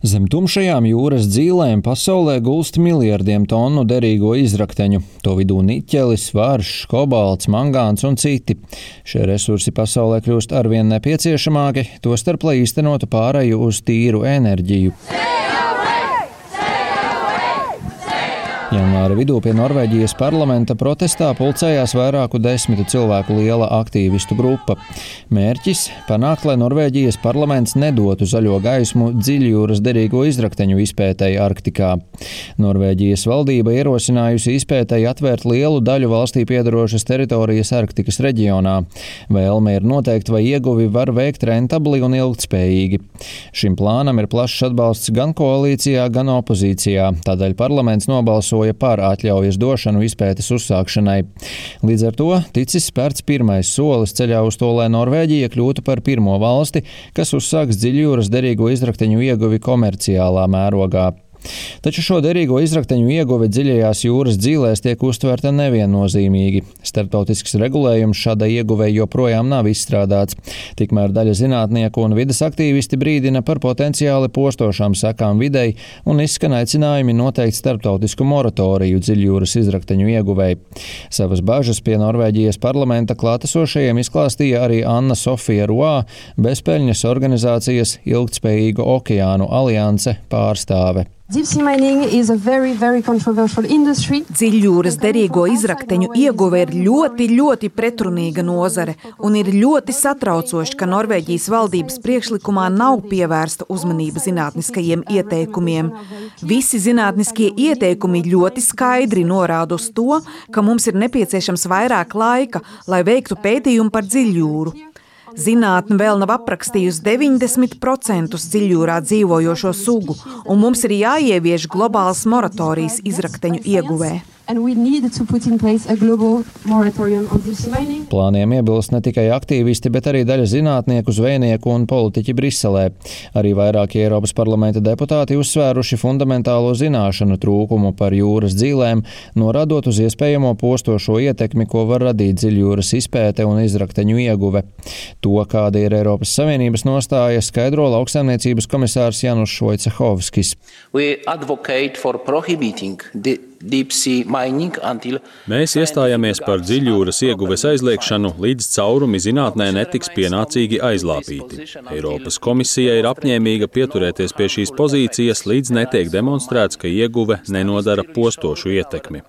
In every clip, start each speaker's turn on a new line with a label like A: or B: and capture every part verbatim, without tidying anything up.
A: Zem tumšajām jūras dzīlēm pasaulē gulst miljardiem tonu derīgo izrakteņu. To vidū niķelis, varš, kobalts, mangāns un citi. Šie resursi pasaulē kļūst arvien nepieciešamāki, tostarp, lai īstenotu pāreju uz tīru enerģiju. Janvāra vidū pie Norvēģijas parlamenta protestā pulcējās vairāku desmitu cilvēku liela aktīvistu grupa. Mērķis – panākt, lai Norvēģijas parlaments nedotu zaļo gaismu dziļjūras derīgo izrakteņu izpētei Arktikā. Norvēģijas valdība ierosinājusi izpētei atvērt lielu daļu valstī piedarošas teritorijas Arktikas reģionā. Vēlme ir noteikt, vai ieguvi var veikt rentabli un ilgtspējīgi. Šim plānam ir plašs atbalsts gan koalīcijā, gan opozīcijā. Tādēļ parlaments nobalsoja par atļaujas došanu izpētes uzsākšanai. Līdz ar to ticis spērts pirmais solis ceļā uz to, lai Norvēģija kļūtu par pirmo valsti, kas uzsāks dziļjūras derīgo izrakteņu ieguvi komerciālā mērogā. Taču šo derīgo izrakteņu ieguve dziļajās jūras dzīlēs tiek uztverta neviennozīmīgi. Starptautisks regulējums šādai ieguvei joprojām nav izstrādāts. Tikmēr daļa zinātnieku un vides aktīvisti brīdina par potenciāli postošām sekām videi un izskan aicinājumi noteikt starptautisku moratoriju dziļjūras izrakteņu ieguvei. Savas bažas pie Norvēģijas parlamenta klātesošajiem izklāstīja arī Anna Sofija Roā, bezpeļņas organizācijas Ilgtspējīgu okeānu alianse pārstāve.
B: Very, very
C: Dziļjūras derīgo izrakteņu ieguve ir ļoti, ļoti pretrunīga nozare un ir ļoti satraucoši, ka Norvēģijas valdības priekšlikumā nav pievērsta uzmanība zinātniskajiem ieteikumiem. Visi zinātniskie ieteikumi ļoti skaidri norāda uz to, ka mums ir nepieciešams vairāk laika, lai veiktu pētījumu par dziļjūru. Zinātne vēl nav aprakstījusi deviņdesmit procentus dziļjūrā dzīvojošo sugu, un mums ir jāievieš globāls moratorijas izrakteņu ieguvē.
A: Plāniem iebilst ne tikai aktīvisti, bet arī daļa zinātnieku, zvejnieku un politiķi Briselē. Arī vairāki Eiropas parlamenta deputāti uzsvēruši fundamentālo zināšanu trūkumu par jūras dzīlēm, norādot uz iespējamo postošo ietekmi, ko var radīt dziļjūras izpēte un izrakteņu ieguve. To, kāda ir Eiropas Savienības nostāja, skaidro lauksaimniecības komisārs Januš Vojcehovskis.
D: Mēs iestājāmies par dziļjūras ieguves aizliekšanu, līdz caurumi zinātnē netiks pienācīgi aizlāpīti. Eiropas komisija ir apņēmīga pieturēties pie šīs pozīcijas, līdz netiek demonstrēts, ka ieguve nenodara postošu ietekmi.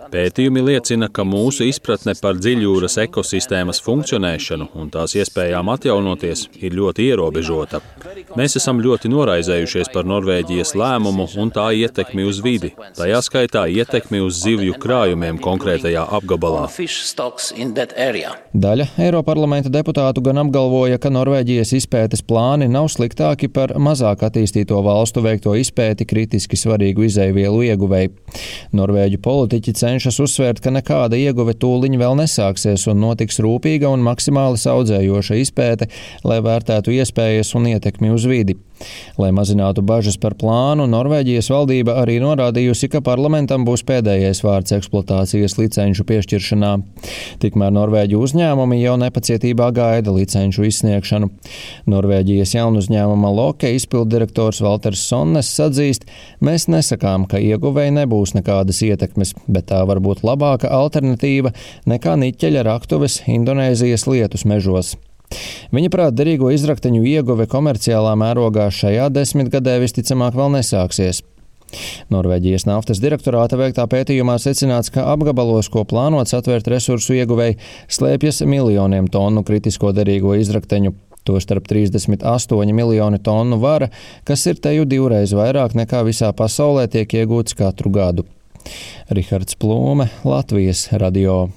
D: Pētījumi liecina, ka mūsu izpratne par dziļjūras ekosistēmas funkcionēšanu un tās iespējām atjaunoties ir ļoti ierobežota. Mēs esam ļoti noraizējušies par Norvēģijas lēmumu un tā ietekmi uz vidi, tajā skaitā ietekmi uz zivju krājumiem konkrētajā apgabalā.
A: Daļa Eiroparlamenta deputātu gan apgalvoja, ka Norvēģijas izpētes plāni nav sliktāki par mazāk attīstīto valstu veikto izpēti kritiski svarīgu izejvielu ieguvēju. Norvēģu politiķi cenšas uzsvērt, ka nekāda ieguve tūliņ vēl nesāksies un notiks rūpīga un maksimāli saudzējoša izpēte, lai vērtētu iespējas un ietekmi uz vidi. Lai mazinātu bažas par plānu, Norvēģijas valdība arī norādījusi, ka parlamentam būs pēdējais vārds eksploatācijas licenču piešķiršanā. Tikmēr Norvēģu uzņēmumi jau nepacietībā gaida licenču izsniegšanu. Norvēģijas jaunuzņēmuma Loke izpilddirektors Valters Sonnes atzīst, mēs nesakām, ka ieguvēji nebūs nekādas ietekmes, bet tā var būt labāka alternatīva nekā niķeļa raktuves Indonēzijas lietus mežos. Viņa prāt, derīgo izrakteņu ieguve komerciālā mērogā šajā desmitgadē visticamāk vēl nesāksies. Norvēģijas naftas direktorāta veiktā pētījumā secināts, ka apgabalos, ko plānots atvērt resursu ieguvēji, slēpjas miljoniem tonu kritisko derīgo izrakteņu. Tostarp trīsdesmit astoņi miljoni tonu vara, kas ir teju divreiz vairāk nekā visā pasaulē tiek iegūts katru gadu. Rihards Plūme, Latvijas radio.